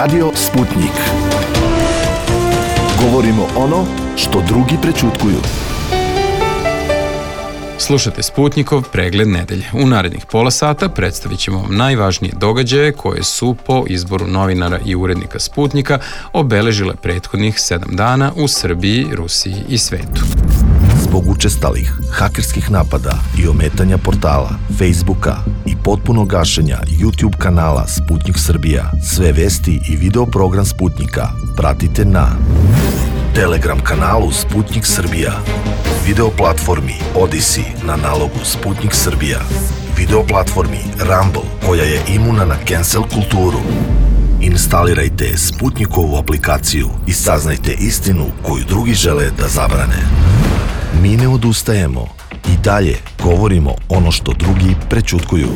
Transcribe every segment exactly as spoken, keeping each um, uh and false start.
Radio Sputnik. Govorimo ono što drugi prećutkuju. Slušajte Sputnikov pregled nedelje. U narednih pola sata predstavit ćemo vam najvažnije događaje koje su po izboru novinara i urednika Sputnika obeležile prethodnih sedam dana u Srbiji, Rusiji i svetu. Zbog učestalih hakerskih napada i ometanja portala, Facebooka i potpunog gašenja YouTube kanala Sputnik Srbija, sve vesti i video program Sputnika pratite na Telegram kanalu Sputnik Srbija, video platformi Odyssey na nalogu Sputnik Srbija, video platformi Rumble koja je imuna na cancel kulturu. Instalirajte Sputnikovu aplikaciju i saznajte istinu koju drugi žele da zabrane. Mi ne odustajemo i dalje govorimo ono što drugi prećutkuju.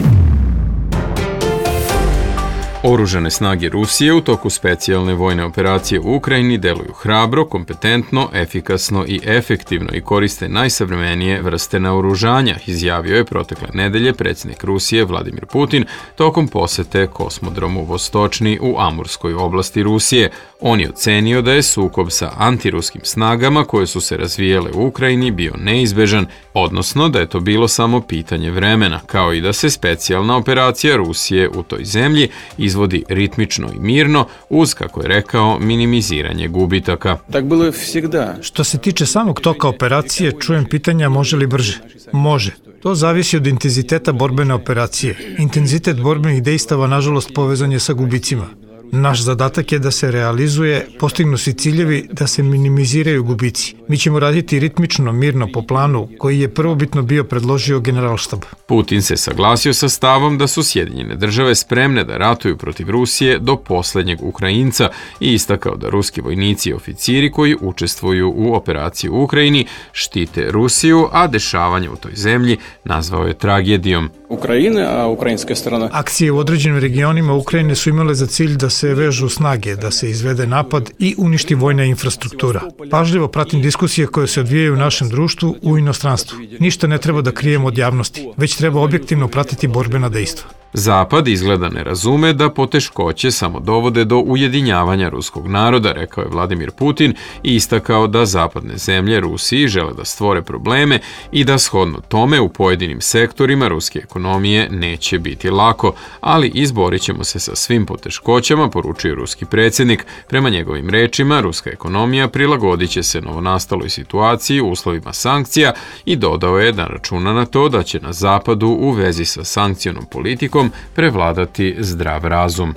Oružane snage Rusije u toku specijalne vojne operacije u Ukrajini deluju hrabro, kompetentno, efikasno i efektivno i koriste najsavremenije vrste naoružanja, izjavio je protekle nedelje predsjednik Rusije Vladimir Putin tokom posete kosmodromu Vostočni u Amurskoj oblasti Rusije. On je ocenio da je sukob sa antiruskim snagama koje su se razvijele u Ukrajini bio neizbežan, odnosno da je to bilo samo pitanje vremena, kao i da se specijalna operacija Rusije u toj zemlji izvodi ritmično i mirno uz, kako je rekao, minimiziranje gubitaka. Tak bilo je всегда. Što se tiče samog toka operacije, čujem pitanja može li brže. Može. To zavisi od intenziteta borbene operacije. Intenzitet borbenih dejstava, nažalost, povezan je sa gubicima. Naš zadatak je da se realizuje, postignu se ciljevi, da se minimiziraju gubici. Mi ćemo raditi ritmično, mirno po planu koji je prvobitno bio predložio Generalštab. Putin se saglasio sa stavom da su Sjedinjene države spremne da ratuju protiv Rusije do poslednjeg Ukrajinca i istakao da ruski vojnici i oficiri koji učestvuju u operaciji u Ukrajini štite Rusiju, a dešavanje u toj zemlji nazvao je tragedijom. Ukrajine, a ukrajinska strana. Akcije u određenim regionima Ukrajine su imale za cilj da se vežu snage, da se izvede napad i uništi vojna infrastruktura. Pažljivo pratim diskusije koje se odvijaju u našem društvu u inostranstvu. Ništa ne treba da krijemo od javnosti, već treba objektivno pratiti borbena dejstva. Zapad izgleda ne razume da poteškoće samo dovode do ujedinjavanja ruskog naroda, rekao je Vladimir Putin i istakao da zapadne zemlje Rusiji žele da stvore probleme i da shodno tome u pojedinim sektorima ruske ekonomije neće biti lako, ali izborit ćemo se sa svim poteškoćama, poručio ruski predsjednik. Prema njegovim rečima, ruska ekonomija prilagodit će se novonastaloj situaciji u uslovima sankcija i dodao je da računa na to da će na zapadu u vezi sa sankcionom politikom prevladati zdrav razum.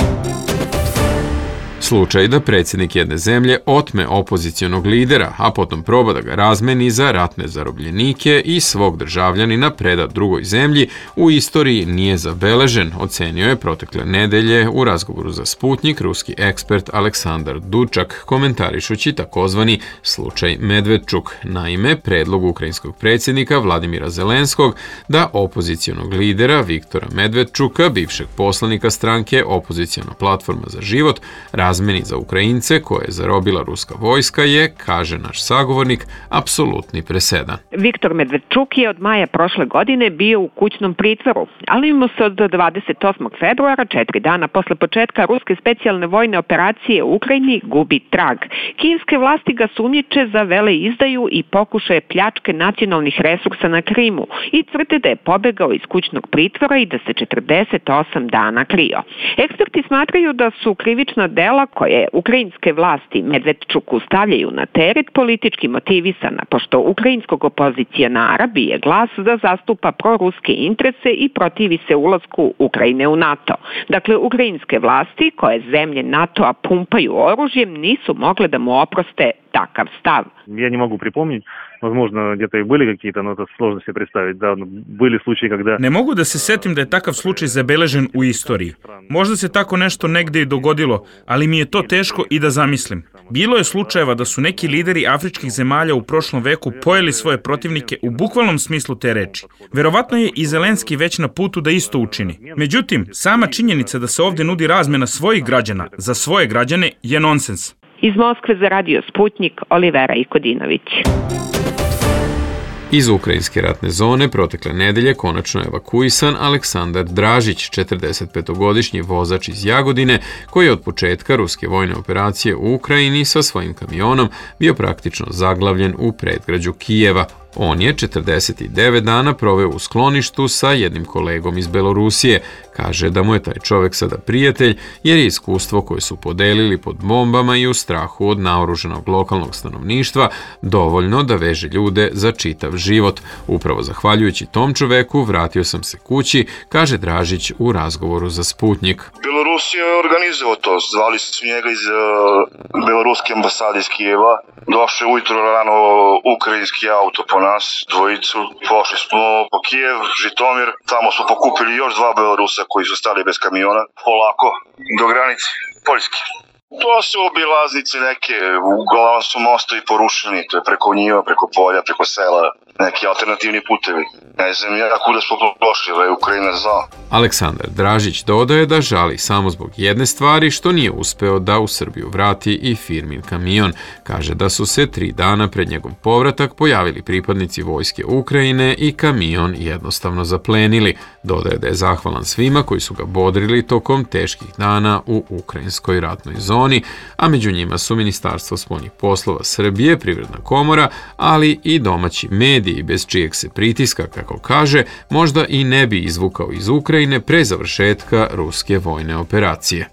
Slučaj da predsjednik jedne zemlje otme opozicionog lidera, a potom proba da ga razmeni za ratne zarobljenike i svog državljanina preda drugoj zemlji, u istoriji nije zabeležen, ocenio je protekle nedelje u razgovoru za Sputnik ruski ekspert Aleksandar Dučak, komentarišući takozvani slučaj Medvedčuk. Naime, predlog ukrajinskog predsjednika Vladimira Zelenskog da opozicionog lidera Viktora Medvedčuka, bivšeg poslanika stranke Opoziciona platforma za život, razmeni za Ukrajince koje je zarobila ruska vojska je, kaže naš sagovornik, apsolutni presedan. Viktor Medvedčuk je od maja prošle godine bio u kućnom pritvoru, ali mu se od dvadeset osmog februara, četiri dana posle početka ruske specijalne vojne operacije u Ukrajini, gubi trag. Kijevske vlasti ga sumnjiče za veleizdaju i pokušaje pljačke nacionalnih resursa na Krimu i tvrde da je pobegao iz kućnog pritvora i da se četrdeset osam dana krio. Eksperti smatraju da su krivična dela koje ukrajinske vlasti Medvedčuku stavljaju na teret politički motivisana, pošto ukrajinskog opozicionara bije glas da zastupa proruske interese i protivi se ulasku Ukrajine u NATO. Dakle, ukrajinske vlasti koje zemlje NATO-a pumpaju oružjem nisu mogle da mu oproste takav stav. Я не могу припомнить, возможно, где-то и были какие-то, но это сложно себе представить. Да, были случаи, когда... Ne mogu da se setim da je takav slučaj zabeležen u istoriji. Možda se tako nešto negde i dogodilo, ali mi je to teško i da zamislim. Bilo je slučajeva da su neki lideri afričkih zemalja u prošlom veku pojeli svoje protivnike u bukvalnom smislu te reči. Verovatno je i Zelenski već na putu da isto učini. Međutim, sama činjenica da se ovde nudi razmena svojih građana za svoje građane je nonsens. Iz Moskve za Radio Sputnik, Olivera Ikodinović. Iz ukrajinske ratne zone protekle nedelje konačno je evakuisan Aleksandar Dražić, četrdesetpetogodišnji vozač iz Jagodine, koji je od početka ruske vojne operacije u Ukrajini sa svojim kamionom bio praktično zaglavljen u predgrađu Kijeva. On je četrdeset devet dana proveo u skloništu sa jednim kolegom iz Belorusije. Kaže da mu je taj čovek sada prijatelj jer je iskustvo koje su podelili pod bombama i u strahu od naoruženog lokalnog stanovništva dovoljno da veže ljude za čitav život. Upravo zahvaljujući tom čoveku vratio sam se kući, kaže Dražić u razgovoru za Sputnik. Belorusija je organizovao to. Zvali su njega iz uh, Beloruske ambasade iz Kijeva. Došao je ujutro rano ukrajinski auto po nas, dvojicu. Pošli smo po Kijev, Žitomir. Tamo smo pokupili još dva Belorusa koji su stali bez kamiona. Polako, do granice Poljske. To su obilaznice neke, uglavnom su mostovi porušeni, to je preko njiva, preko polja, preko sela, neki alternativni putevi. Ne znam ja kuda smo došli, da je Ukrajina znao. Aleksandar Dražić dodaje da žali samo zbog jedne stvari što nije uspeo da u Srbiju vrati i firmin kamion. Kaže da su se tri dana pred njegov povratak pojavili pripadnici vojske Ukrajine i kamion jednostavno zaplenili. Dodaje da je zahvalan svima koji su ga bodrili tokom teških dana u ukrajinskoj ratnoj zoni, a među njima su Ministarstvo spoljnih poslova Srbije, Privredna komora, ali i domaći mediji bez čijeg se pritiska, kako kaže, možda i ne bi izvukao iz Ukrajine pre završetka ruske vojne operacije.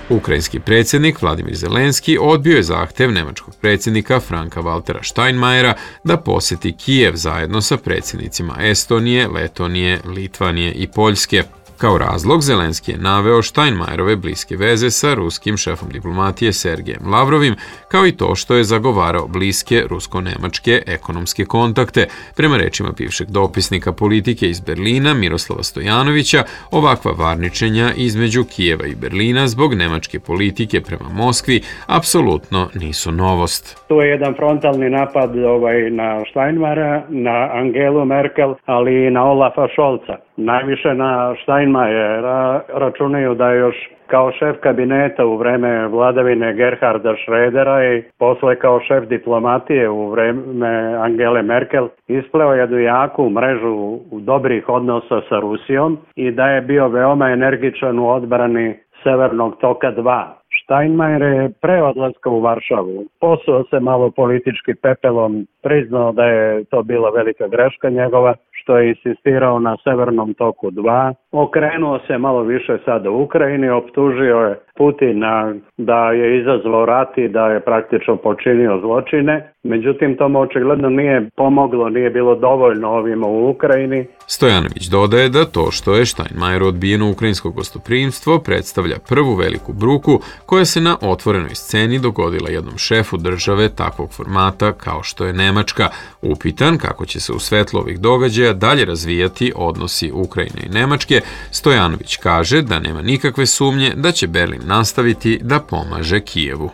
Ukrajinski predsjednik Vladimir Zelenski odbio je zahtev nemačkog predsjednika Franka Waltera Steinmeiera da posjeti Kijev zajedno sa predsjednicima Estonije, Letonije, Litvanije i Poljske. Kao razlog Zelenski je naveo Steinmeierove bliske veze sa ruskim šefom diplomatije Sergejem Lavrovim, kao i to što je zagovarao bliske rusko-nemačke ekonomske kontakte. Prema rečima bivšeg dopisnika politike iz Berlina Miroslava Stojanovića, ovakva varničenja između Kijeva i Berlina zbog nemačke politike prema Moskvi apsolutno nisu novost. To je jedan frontalni napad ovaj, na Steinmeiera, na Angelu Merkel, ali i na Olafa Scholza. Najviše na Steinmeiera računaju da je još kao šef kabineta u vreme vladavine Gerharda Schrödera i posle kao šef diplomatije u vreme Angele Merkel ispleo jednu jaku mrežu dobrih odnosa sa Rusijom i da je bio veoma energičan u odbrani Severnog toka dva. Steinmeier je pre odlaska u Varšavu posuo se malo politički pepelom, priznao da je to bila velika greška njegova, što je insistirao na Severnom toku dva. Okrenuo se malo više sada u Ukrajini, optužio je Putina da je izazvao rat i da je praktično počinio zločine. Međutim, to mu očigledno nije pomoglo, nije bilo dovoljno ovima u Ukrajini. Stojanović dodaje da to što je Steinmeier odbijeno ukrajinsko gostoprimstvo predstavlja prvu veliku bruku koja se na otvorenoj sceni dogodila jednom šefu države takvog formata kao što je Nemačka. Upitan kako će se u svetlu ovih događaja dalje razvijati odnosi Ukrajine i Nemačke, Stojanović kaže da nema nikakve sumnje da će Berlin nastaviti da pomaže Kijevu.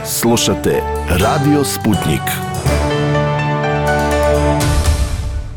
Slušate Radio Sputnik.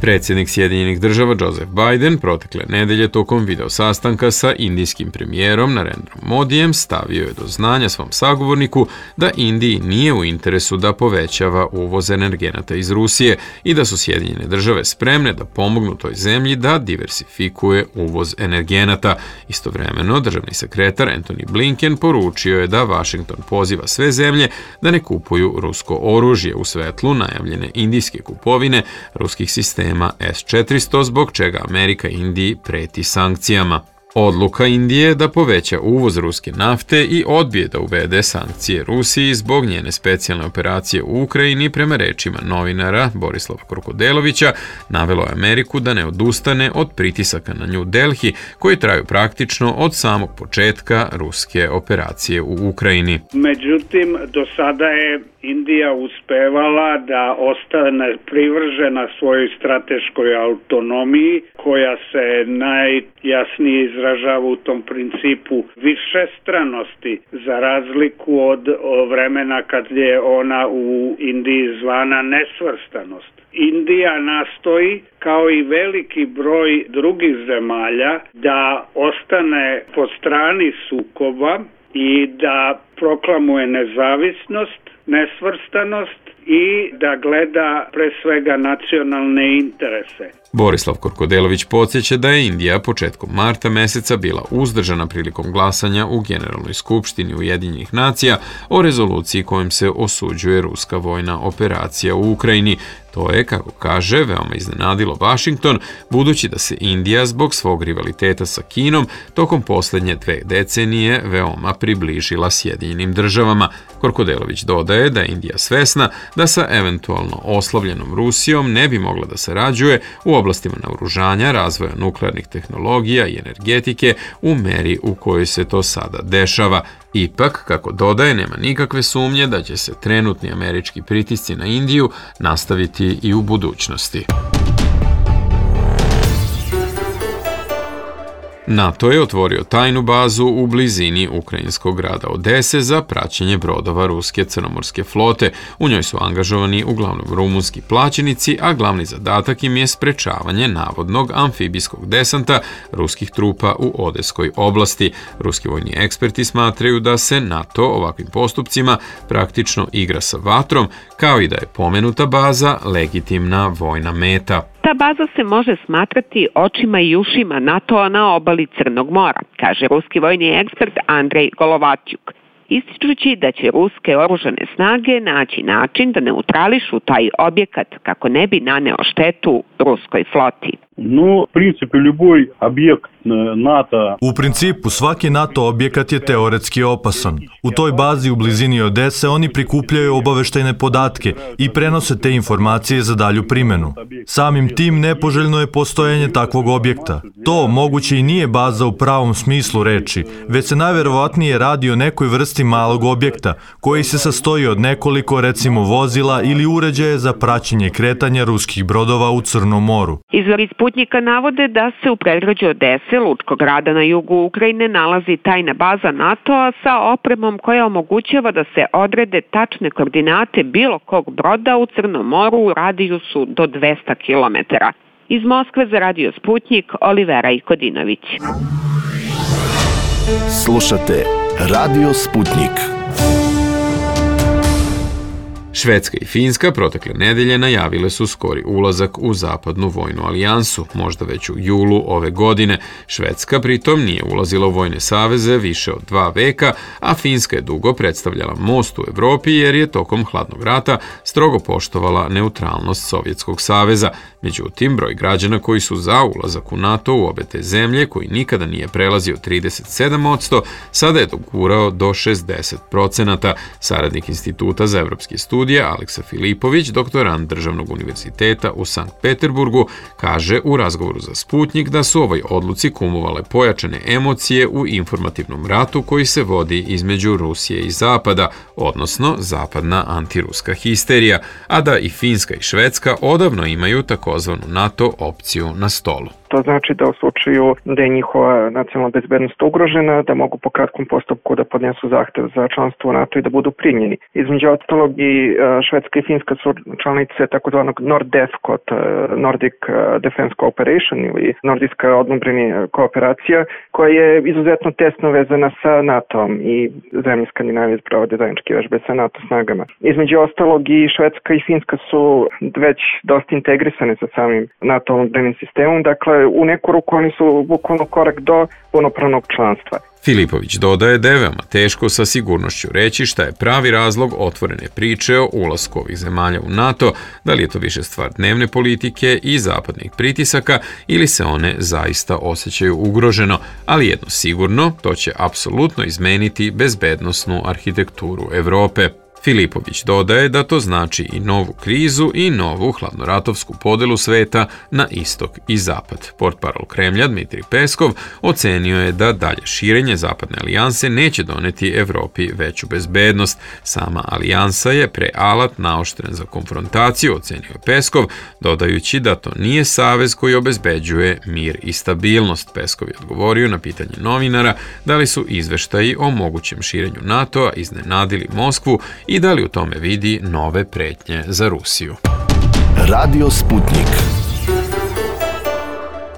Predsjednik Sjedinjenih država Joseph Biden protekle nedelje tokom video sastanka sa indijskim premijerom Narendrom Modijem stavio je do znanja svom sagovorniku da Indiji nije u interesu da povećava uvoz energenata iz Rusije i da su Sjedinjene države spremne da pomognu toj zemlji da diversifikuje uvoz energenata. Istovremeno, državni sekretar Antony Blinken poručio je da Washington poziva sve zemlje da ne kupuju rusko oružje u svetlu najavljene indijske kupovine ruskih sistema S četiristo, zbog čega Amerika Indiji preti sankcijama. Odluka Indije da poveća uvoz ruske nafte i odbije da uvede sankcije Rusiji zbog njene specijalne operacije u Ukrajini, prema rečima novinara Borislava Krokodelovića, navelo je Ameriku da ne odustane od pritisaka na New Delhi koji traju praktično od samog početka ruske operacije u Ukrajini. Međutim, do sada je Indija uspevala da ostane privržena svojoj strateškoj autonomiji koja se najjasnije izražava u tom principu višestranosti za razliku od vremena kad je ona u Indiji zvana nesvrstanost. Indija nastoji, kao i veliki broj drugih zemalja, da ostane po strani sukoba i da proklamuje nezavisnost, nesvrstanost i da gleda pre svega nacionalne interese. Borislav Korkodelović podsjeća da je Indija početkom marta meseca bila uzdržana prilikom glasanja u Generalnoj skupštini Ujedinjenih nacija o rezoluciji kojom se osuđuje ruska vojna operacija u Ukrajini. To je, kako kaže, veoma iznenadilo Washington, budući da se Indija zbog svog rivaliteta sa Kinom tokom posljednje dve decenije veoma približila Sjedinjenim državama. Korkodelović dodaje da je Indija svesna da sa eventualno oslabljenom Rusijom ne bi mogla da sarađuje u oblastima naoružanja, razvoja nuklearnih tehnologija i energetike u meri u kojoj se to sada dešava. Ipak, kako dodaje, nema nikakve sumnje da će se trenutni američki pritisci na Indiju nastaviti i u budućnosti. NATO je otvorio tajnu bazu u blizini ukrajinskog grada Odese za praćenje brodova ruske crnomorske flote. U njoj su angažovani uglavnom rumunski plaćenici, a glavni zadatak im je sprečavanje navodnog amfibijskog desanta ruskih trupa u Odeskoj oblasti. Ruski vojni eksperti smatraju da se NATO ovakvim postupcima praktično igra sa vatrom, kao i da je pomenuta baza legitimna vojna meta. Ta baza se može smatrati očima i ušima NATO-a na obali Crnog mora, kaže ruski vojni ekspert Andrej Golovatjuk, ističući da će ruske oružane snage naći način da neutrališu taj objekat kako ne bi naneo štetu ruskoj floti. No, в принципе, любой объект NATO. U principu, svaki NATO objekat je teoretski opasan. U toj bazi u blizini Odese oni prikupljaju obaveštajne podatke i prenose te informacije za dalju primjenu. Samim tim nepoželjno je postojanje takvog objekta. To moguće i nije baza u pravom smislu reči, već se najverovatnije radi o nekoj vrsti malog objekta, koji se sastoji od nekoliko, recimo, vozila ili uređaje za praćenje kretanja ruskih brodova u Crnom moru. Izvori Sputnika navode da se u predgrađu Odese, lučkog grada na jugu Ukrajine, nalazi tajna baza NATO-a sa opremom koja omogućava da se odrede tačne koordinate bilo kog broda u Crnom moru u radijusu do dvesta kilometara. Iz Moskve za Radio Sputnik, Olivera Ikodinović. Slušate Radio Sputnik. Švedska i Finska protekle nedelje najavile su skori ulazak u zapadnu vojnu alijansu, možda već u julu ove godine. Švedska pritom nije ulazila u vojne saveze više od dva veka, a Finska je dugo predstavljala most u Evropi jer je tokom hladnog rata strogo poštovala neutralnost Sovjetskog saveza. Međutim, broj građana koji su za ulazak u NATO u obe te zemlje, koji nikada nije prelazio trideset sedam posto, sada je dogurao do šezdeset procenata. Saradnik Instituta za evropske studije Aleksa Filipović, doktorant Državnog univerziteta u Sankt Peterburgu, kaže u razgovoru za Sputnik da su ovoj odluci kumovale pojačane emocije u informativnom ratu koji se vodi između Rusije i Zapada, odnosno zapadna antiruska histerija, a da i Finska i Švedska odavno imaju takozvanu NATO opciju na stolu. To znači da u slučaju da je njihova nacionalna bezbednost ugrožena, da mogu po kratkom postupku da podnesu zahtev za članstvo u NATO i da budu primljeni. Između ostalog i Švedska i Finska su članice takozvanog NORDEFCO, Nordic Defense Cooperation ili Nordijska odbrambena kooperacija, koja je izuzetno tesno vezana sa NATO-om i zemlje Skandinavije sprovode zajedničke vežbe sa NATO snagama. Između ostalog i Švedska i Finska su već dosta integrisane sa samim NATO odbrambenim sistemom, dakle u neku ruku oni su bukvalno korak do punopravnog članstva. Filipović dodaje da je veoma teško sa sigurnošću reći šta je pravi razlog otvorene priče o ulasku ovih zemalja u NATO, da li je to više stvar dnevne politike i zapadnih pritisaka ili se one zaista osjećaju ugroženo, ali jedno sigurno, to će apsolutno izmeniti bezbednosnu arhitekturu Evrope. Filipović dodaje da to znači i novu krizu i novu hladnoratovsku podelu sveta na istok i zapad. Portparol Kremlja Dmitrij Peskov ocenio je da dalje širenje zapadne alijanse neće doneti Evropi veću bezbednost. Sama alijansa je prealat naoštren za konfrontaciju, ocenio je Peskov, dodajući da to nije savez koji obezbeđuje mir i stabilnost. Peskov je odgovorio na pitanje novinara da li su izveštaji o mogućem širenju NATO-a iznenadili Moskvu i da li u tome vidi nove pretnje za Rusiju. Radio Sputnik.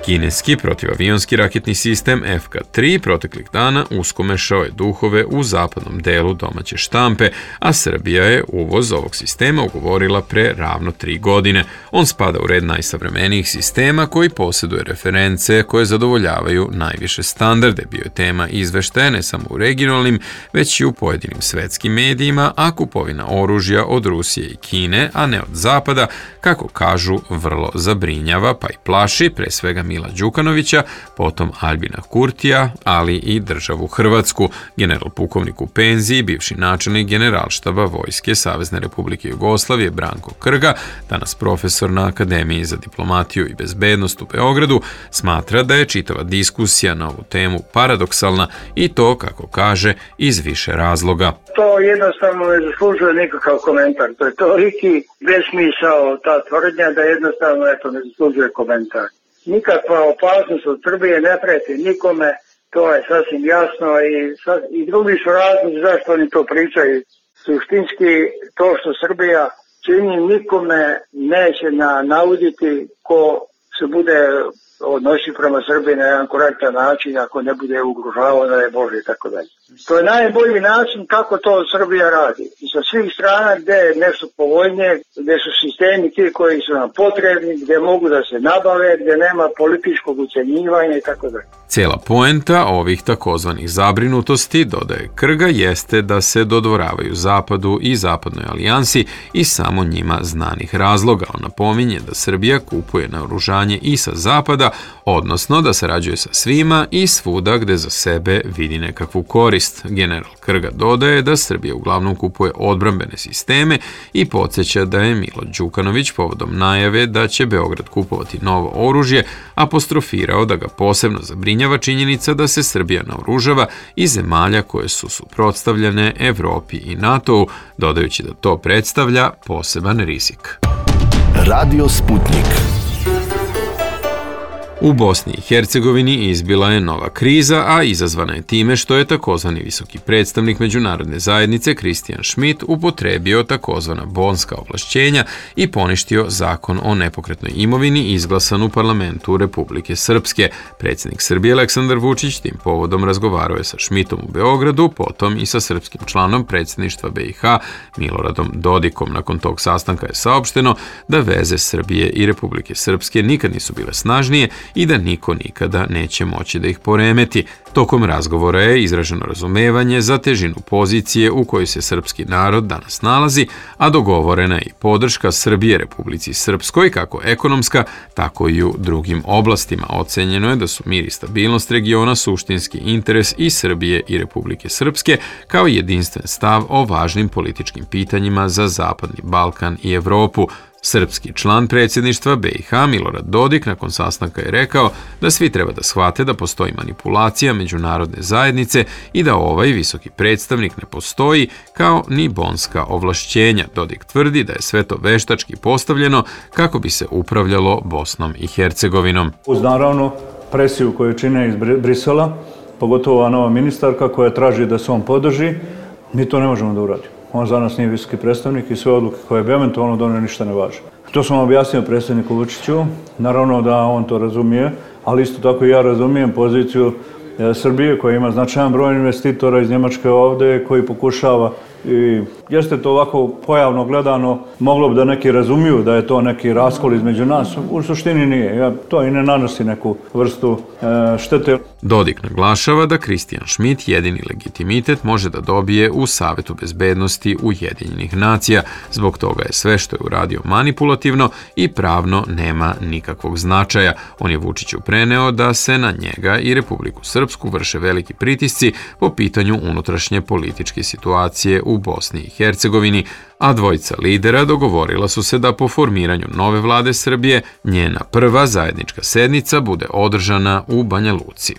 Kineski protivavionski raketni sistem F K tri proteklih dana uskomešao je duhove u zapadnom delu domaće štampe, a Srbija je uvoz ovog sistema ugovorila pre ravno tri godine. On spada u red najsavremenijih sistema koji posjeduje reference koje zadovoljavaju najviše standarde. Bio je tema izveštaja ne samo u regionalnim, već i u pojedinim svetskim medijima, a kupovina oružja od Rusije i Kine, a ne od Zapada, kako kažu, vrlo zabrinjava pa i plaši, pre svega Mila Đukanovića, potom Albina Kurtija, ali i državu Hrvatsku. General pukovnik u penziji, bivši načelnik Generalštaba Vojske Savezne Republike Jugoslavije Branko Krga, danas profesor na Akademiji za diplomatiju i bezbednost u Beogradu, smatra da je čitava diskusija na ovu temu paradoksalna i to, kako kaže, iz više razloga. To jednostavno ne zaslužuje nikakav komentar. To je toliki besmisao ta tvrdnja da jednostavno eto, ne zaslužuje komentar. Nikakva opasnost od Srbije ne preti nikome, to je sasvim jasno i, i drugi su razlozi zašto oni to pričaju. Suštinski to što Srbija čini nikome neće na, nauditi ko se bude odnosi prema Srbiji na jedan korektan način, ako ne bude ugrožavao, da je Bože i tako dalje. To je najbolji način kako to Srbija radi. I sa svih strana gde je nešto povoljnije, gde su sistemi ti koji su nam potrebni, gde mogu da se nabave, gde nema političkog ucenjivanja i tako dalje. Cijela poenta ovih takozvanih zabrinutosti, dodaje Krga, jeste da se dodvoravaju Zapadu i Zapadnoj alijansi i samo njima znanih razloga. On napominje da Srbija kupuje naoružanje i sa Zapada, odnosno da sarađuje sa svima i svuda gde za sebe vidi nekakvu korist. General Krga dodaje da Srbija uglavnom kupuje odbrambene sisteme i podsjeća da je Milo Đukanović povodom najave da će Beograd kupovati novo oružje apostrofirao da ga posebno zabrinjava činjenica da se Srbija naoružava iz zemalja koje su suprotstavljene Evropi i NATO-u, dodajući da to predstavlja poseban rizik. Radio Sputnik. U Bosni i Hercegovini izbila je nova kriza, a izazvana je time što je takozvani visoki predstavnik međunarodne zajednice Kristijan Schmidt upotrebio takozvana bonska ovlašćenja i poništio zakon o nepokretnoj imovini izglasan u parlamentu Republike Srpske. Predsjednik Srbije Aleksandar Vučić tim povodom razgovarao je sa Schmidtom u Beogradu, potom i sa srpskim članom predsjedništva B i H Miloradom Dodikom. Nakon tog sastanka je saopšteno da veze Srbije i Republike Srpske nikad nisu bile snažnije i da niko nikada neće moći da ih poremeti. Tokom razgovora je izraženo razumevanje za težinu pozicije u kojoj se srpski narod danas nalazi, a dogovorena je i podrška Srbije Republici Srpskoj, kako ekonomska, tako i u drugim oblastima. Ocenjeno je da su mir i stabilnost regiona suštinski interes i Srbije i Republike Srpske, kao i jedinstven stav o važnim političkim pitanjima za Zapadni Balkan i Evropu. Srpski član predsjedništva B i H Milorad Dodik nakon sastanka je rekao da svi treba da shvate da postoji manipulacija međunarodne zajednice i da ovaj visoki predstavnik ne postoji, kao ni bonska ovlašćenja. Dodik tvrdi da je sve to veštački postavljeno kako bi se upravljalo Bosnom i Hercegovinom. Uz naravno presiju koju čine iz Brisela, pogotovo ova nova ministarka koja traži da se on podrži, mi to ne možemo da uradimo. On za nas nije visoki predstavnik i sve odluke koje bi eventualno donio ništa ne važe. To sam objasnio predsjedniku Vučiću, naravno da on to razumije, ali isto tako i ja razumijem poziciju Srbije koja ima značajan broj investitora iz Njemačke ovde koji pokušava i jeste to ovako pojavno gledano, moglo bi da neki razumiju da je to neki raskol između nas, u suštini nije. Ja, to i ne nanosi neku vrstu e, štete. Dodik naglašava da Kristijan Schmidt jedini legitimitet može da dobije u Savetu bezbednosti Ujedinjenih nacija. Zbog toga je sve što je uradio manipulativno i pravno nema nikakvog značaja. On je Vučiću preneo da se na njega i Republiku Srpsku vrše veliki pritisci po pitanju unutrašnje političke situacije u Bosni i Hercegovini, a dvojica lidera dogovorila su se da po formiranju nove vlade Srbije njena prva zajednička sednica bude održana u Banja Luci.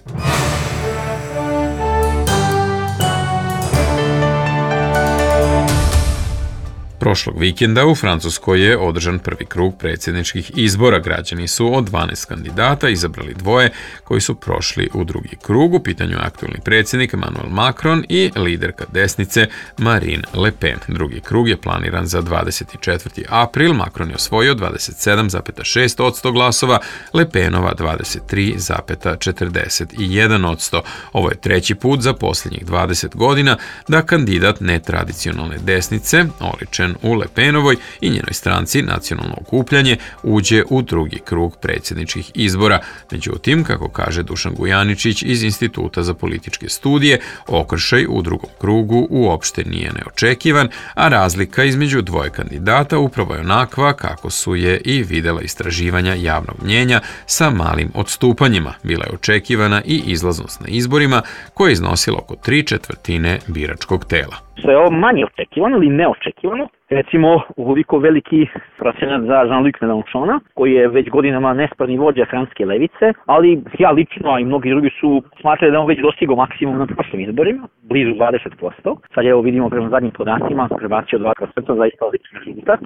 Prošlog vikenda u Francuskoj je održan prvi krug predsjedničkih izbora. Građani su od dvanaest kandidata izabrali dvoje koji su prošli u drugi krug. U pitanju je aktualni predsjednik Emmanuel Macron i liderka desnice Marine Le Pen. Drugi krug je planiran za dvadeset četvrti april. Macron je osvojio dvadeset sedam zarez šest posto glasova, Le Penova dvadeset tri zarez četrdeset jedan posto. Ovo je treći put za posljednjih dvadeset godina da kandidat netradicionalne desnice, oličen u Le Penovoj i njenoj stranci Nacionalno okupljanje, uđe u drugi krug predsjedničkih izbora. Međutim, kako kaže Dušan Gujaničić iz Instituta za političke studije, okršaj u drugom krugu uopšte nije neočekivan, a razlika između dvoje kandidata upravo je onakva kako su je i videla istraživanja javnog mnjenja sa malim odstupanjima. Bila je očekivana i izlaznost na izborima koja je iznosila oko tri četvrtine biračkog tela. Što je ovo manje očekivano ili neočekivano? Recimo, ukoliko veliki procenat za Jean-Luc Mélenchona, koji je već godinama nesparni vođa francuske levice, ali ja lično, a i mnogi drugi su smatrali da on već dostigao maksimum na prošlim izborima, blizu dvadeset posto. Sad evo vidimo prema zadnjim podacima, prebacio dva posto zaista odličan rezultat,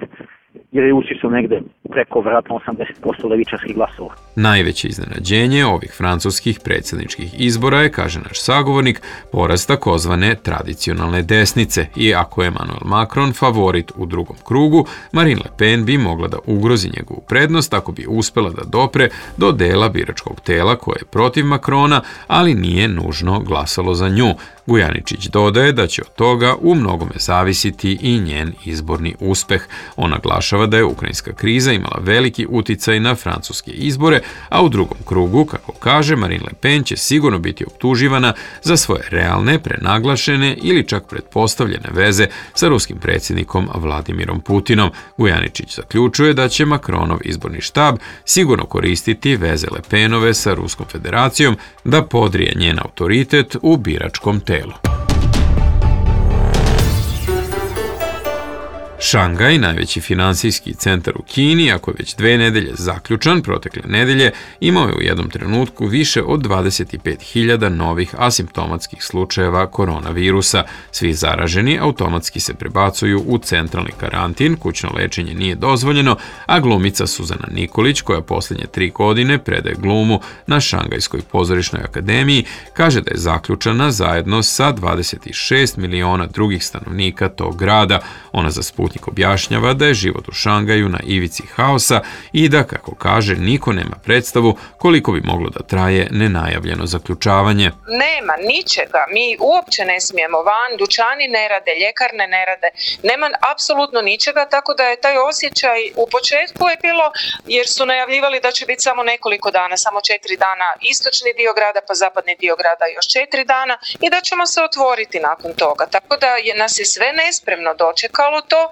jer je ušli su negde preko vratno osamdeset posto levičarskih glasova. Najveće iznenađenje ovih francuskih predsjedničkih izbora je, kaže naš sagovornik, porast takozvane tradicionalne desnice. I ako je Emmanuel Macron favorit u drugom krugu, Marine Le Pen bi mogla da ugrozi njegovu prednost ako bi uspela da dopre do dela biračkog tela koje je protiv Macrona, ali nije nužno glasalo za nju. Gujaničić dodaje da će od toga u mnogome zavisiti i njen izborni uspeh. On naglašava da je ukrajinska kriza imala veliki uticaj na francuske izbore, a u drugom krugu, kako kaže, Marine Le Pen će sigurno biti optuživana za svoje realne, prenaglašene ili čak pretpostavljene veze sa ruskim predsjednikom Vladimirom Putinom. Gujaničić zaključuje da će Macronov izborni štab sigurno koristiti veze Le Penove sa Ruskom federacijom da podrije njen autoritet u biračkom telu. Šangaj, najveći finansijski centar u Kini, ako je već dve nedelje zaključan, protekle nedelje imao je u jednom trenutku više od dvadeset pet hiljada novih asimptomatskih slučajeva koronavirusa. Svi zaraženi automatski se prebacuju u centralni karantin, kućno lečenje nije dozvoljeno, a glumica Suzana Nikolić, koja posljednje tri godine predaje glumu na Šangajskoj pozorišnoj akademiji, kaže da je zaključana zajedno sa dvadeset šest miliona drugih stanovnika tog grada. Ona za Sputnik objašnjava da je život u Šangaju na ivici haosa i da, kako kaže, niko nema predstavu koliko bi moglo da traje nenajavljeno zaključavanje. Nema ničega, mi uopće ne smijemo van, dućani ne rade, ljekarne ne rade, nema apsolutno ničega, tako da je taj osjećaj u početku je bilo, jer su najavljivali da će biti samo nekoliko dana, samo četiri dana istočni dio grada, pa zapadni dio grada još četiri dana i da ćemo se otvoriti nakon toga. Tako da je, nas je sve nespremno dočekalo to.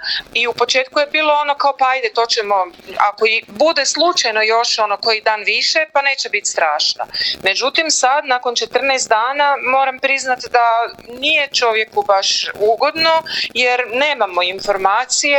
I u početku je bilo ono kao pa ajde to ćemo, ako i bude slučajno još ono koji dan više pa neće biti strašno. Međutim sad nakon četrnaest dana moram priznati da nije čovjeku baš ugodno jer nemamo informacije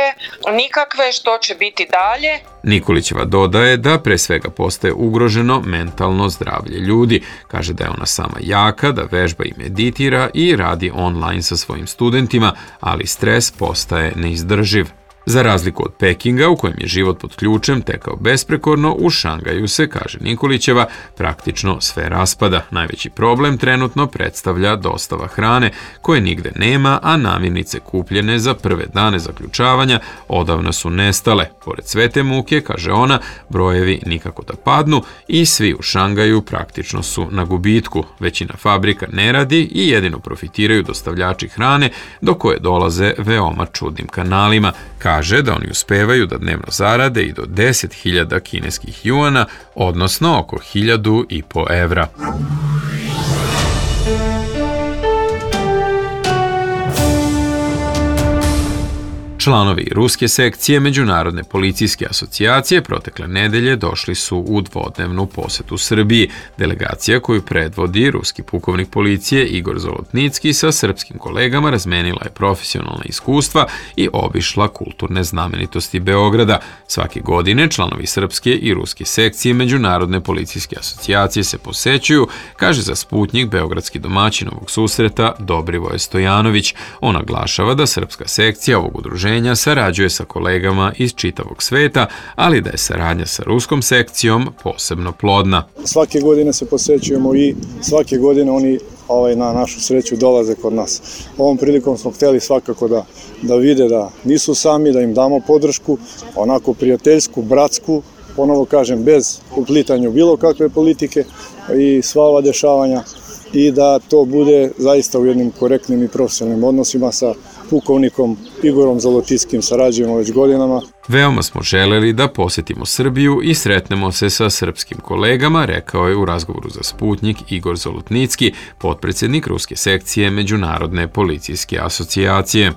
nikakve što će biti dalje. Nikolićeva dodaje da pre svega postaje ugroženo mentalno zdravlje ljudi. Kaže da je ona sama jaka, da vežba i meditira i radi online sa svojim studentima, ali stres postaje neizdrživ. Za razliku od Pekinga, u kojem je život pod ključem tekao besprekorno, u Šangaju se, kaže Nikolićeva, praktično sve raspada. Najveći problem trenutno predstavlja dostava hrane, koje nigde nema, a namirnice kupljene za prve dane zaključavanja odavno su nestale. Pored sve te muke, kaže ona, brojevi nikako da padnu i svi u Šangaju praktično su na gubitku. Većina fabrika ne radi i jedino profitiraju dostavljači hrane, do koje dolaze veoma čudnim kanalima. Kaže da oni uspevaju da dnevno zarade i do deset hiljada kineskih juana, odnosno oko hiljadu i po evra. Članovi ruske sekcije Međunarodne policijske asocijacije protekle nedelje došli su u dvodnevnu posetu Srbiji. Delegacija koju predvodi ruski pukovnik policije Igor Zolotnicki sa srpskim kolegama razmenila je profesionalna iskustva i obišla kulturne znamenitosti Beograda. Svake godine članovi srpske i ruske sekcije Međunarodne policijske asocijacije se posećuju, kaže za Sputnjik beogradski domaćin ovog susreta Dobrivoje Stojanović. On naglašava da srpska sekcija ovog udruženja poverenja sarađuje sa kolegama iz čitavog sveta, ali da je saradnja sa ruskom sekcijom posebno plodna. Svake godine se posećujemo i svake godine oni ovaj, na našu sreću dolaze kod nas. Ovom prilikom smo hteli svakako da, da vide da nisu sami, da im damo podršku, onako prijateljsku, bratsku, ponovo kažem, bez uplitanja bilo kakve politike i sva ova dešavanja i da to bude zaista u jednim korektnim i profesionalnim odnosima sa pukovnikom Igorom Zalotickim, sarađujemo već godinama. Veoma smo želeli da posjetimo Srbiju i sretnemo se sa srpskim kolegama, rekao je u razgovoru za Sputnjik Igor Zolotnicki, potpredsjednik ruske sekcije Međunarodne policijske asocijacije.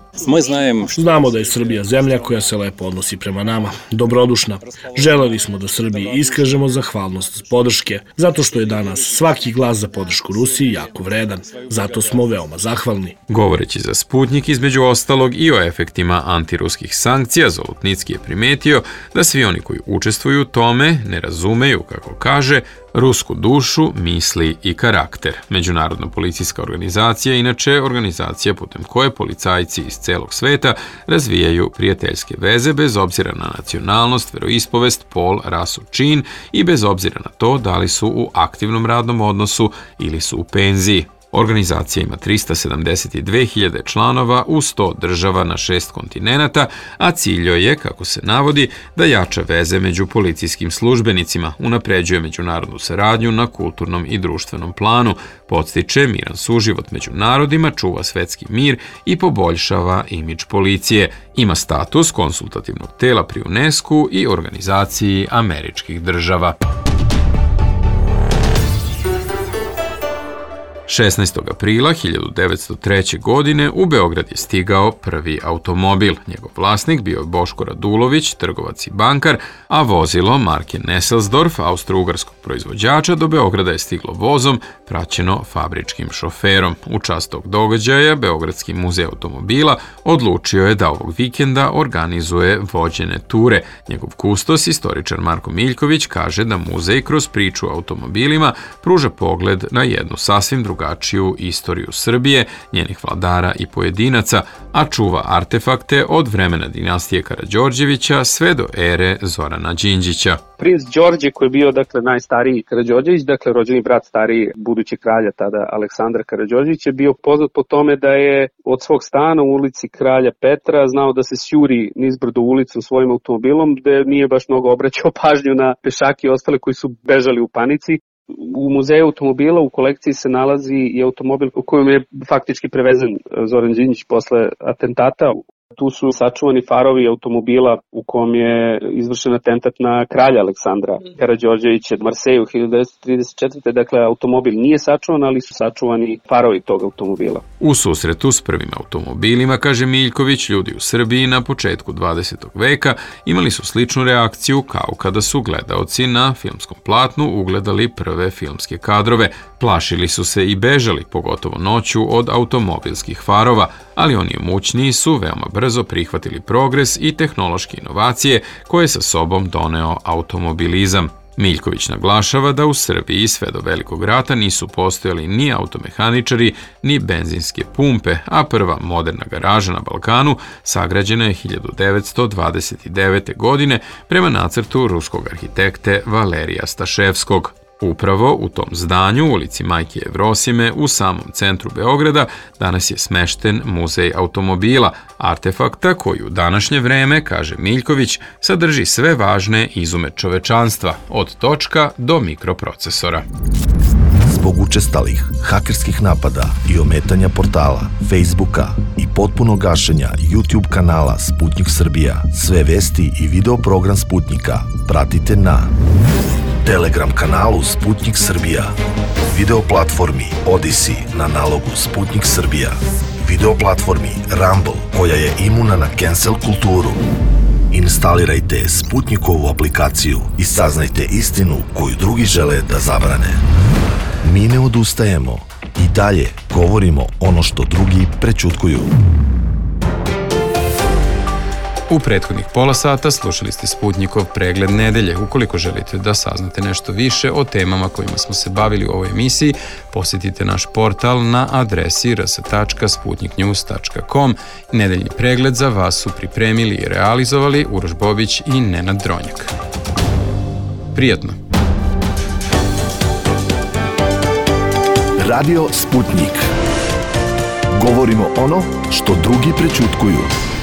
Znamo da je Srbija zemlja koja se lepo odnosi prema nama, dobrodušna. Želeli smo da Srbiji iskažemo zahvalnost podrške, zato što je danas svaki glas za podršku Rusiji jako vredan. Zato smo veoma zahvalni. Govoreći za Sputnjik, između ostalog i o efektima antiruskih sankcija, Zolotnicki je primetio da svi oni koji učestvuju u tome ne razumeju, kako kaže, rusku dušu, misli i karakter. Međunarodna policijska organizacija je inače organizacija putem koje policajci iz celog sveta razvijaju prijateljske veze bez obzira na nacionalnost, veroispovest, pol, rasu, čin i bez obzira na to da li su u aktivnom radnom odnosu ili su u penziji. Organizacija ima trista sedamdeset dve hiljade članova u sto država na šest kontinenata, a cilj joj je, kako se navodi, da jača veze među policijskim službenicima, unapređuje međunarodnu saradnju na kulturnom i društvenom planu, podstiče miran suživot među narodima, čuva svetski mir i poboljšava imidž policije. Ima status konsultativnog tela pri UNESCO i Organizaciji američkih država. šesnaestog aprila hiljadu devetsto treće. godine u Beograd je stigao prvi automobil. Njegov vlasnik bio je Boško Radulović, trgovac i bankar, a vozilo marke Nesselsdorf, austro-ugarskog proizvođača, do Beograda je stiglo vozom, praćeno fabričkim šoferom. U čast tog događaja Beogradski muzej automobila odlučio je da ovog vikenda organizuje vođene ture. Njegov kustos, istoričar Marko Miljković, kaže da muzej kroz priču o automobilima pruža pogled na jednu sasvim drugačiju istoriju Srbije, njenih vladara i pojedinaca, a čuva artefakte od vremena dinastije Karađorđevića sve do ere Zorana Đinđića. Princ Đorđe, koji je bio dakle najstariji Karađorđević, dakle rođeni brat stariji budućeg kralja tada Aleksandra Karađorđevića, bio poznat po tome da je od svog stana u ulici Kralja Petra znao da se sjuri nizbrdo ulicom svojim automobilom, gde nije baš mnogo obraćao pažnju na pešake i ostale koji su bežali u panici. U muzeju automobila u kolekciji se nalazi i automobil u kojem je faktički prevezen Zoran Đinđić posle atentata. Tu su sačuvani farovi automobila u kom je izvršen atentat na kralja Aleksandra Karađorđevića u Marseju hiljadu devetsto trideset četvrte. Dakle, automobil nije sačuvan, ali su sačuvani farovi tog automobila. U susretu s prvim automobilima, kaže Miljković, ljudi u Srbiji na početku dvadesetog veka imali su sličnu reakciju kao kada su gledaoci na filmskom platnu ugledali prve filmske kadrove. Plašili su se i bežali, pogotovo noću, od automobilskih farova, ali oni imućniji su veoma brzo prihvatili progres i tehnološke inovacije koje sa sobom doneo automobilizam. Miljković naglašava da u Srbiji sve do Velikog rata nisu postojali ni automehaničari, ni benzinske pumpe, a prva moderna garaža na Balkanu sagrađena je hiljadu devetsto dvadeset devete. godine prema nacrtu ruskog arhitekte Valerija Staševskog. Upravo u tom zdanju, u ulici Majke Jevrosime, u samom centru Beograda, danas je smešten muzej automobila, artefakta koji u današnje vreme, kaže Miljković, sadrži sve važne izume čovečanstva, od točka do mikroprocesora. Zbog učestalih hakerskih napada i ometanja portala, Facebooka i potpunog gašenja YouTube kanala Sputnjik Srbija, sve vesti i video program Sputnjika pratite na Telegram kanalu Sputnjik Srbija, video platformi Odyssey na nalogu Sputnjik Srbija, video platformi Rumble koja je imuna na cancel kulturu. Instalirajte Sputnjikovu aplikaciju i saznajte istinu koju drugi žele da zabrane. Mi ne odustajemo i dalje govorimo ono što drugi prećutkuju. U prethodnih pola sata slušali ste Sputnikov pregled nedelje. Ukoliko želite da saznate nešto više o temama kojima smo se bavili u ovoj emisiji, posjetite naš portal na adresi r s tačka sputnik news tačka com. Nedeljni pregled za vas su pripremili i realizovali Uroš Bobić i Nenad Dronjak. Prijatno! Radio Sputnik. Govorimo ono što drugi prećutkuju.